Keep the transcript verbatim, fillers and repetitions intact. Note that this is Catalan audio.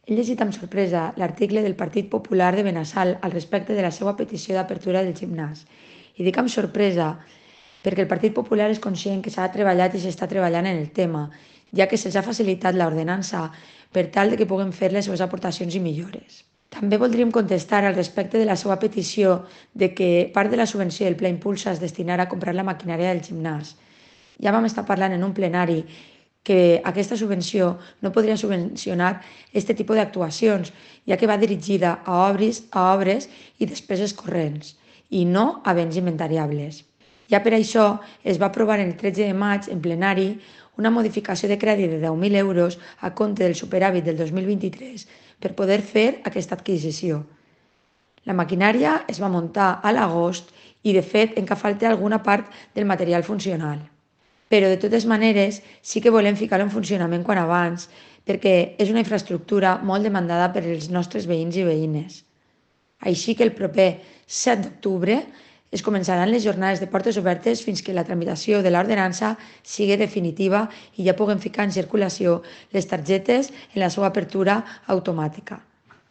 He llegit amb sorpresa l'article del Partit Popular de Benassal al respecte de la seva petició d'apertura del gimnàs. I dic amb sorpresa perquè el Partit Popular és conscient que s'ha treballat i s'està treballant en el tema, ja que se'ls ha facilitat l'ordenança per tal de que puguen fer les seves aportacions i millores. També voldríem contestar al respecte de la seva petició de que part de la subvenció del Pla Impulsa es destinarà a comprar la maquinària del gimnàs. Ja vam estar parlant en un plenari que aquesta subvenció no podria subvencionar aquest tipus d'actuacions, ja que va dirigida a obres, a obres i despeses corrents, i no a béns inventariables. Ja per això es va aprovar el tretze de maig en plenari una modificació de crèdit de deu mil euros a compte del superàvit del dos mil vint-i-tres per poder fer aquesta adquisició. La maquinària es va muntar a l'agost i, de fet, encara falta alguna part del material funcional. Però, de totes maneres, sí que volem ficar-lo en funcionament quan abans, perquè és una infraestructura molt demandada per els nostres veïns i veïnes. Així que el proper set d'octubre es començaran les jornades de portes obertes fins que la tramitació de l'ordenança sigui definitiva i ja puguem ficar en circulació les targetes en la seva apertura automàtica.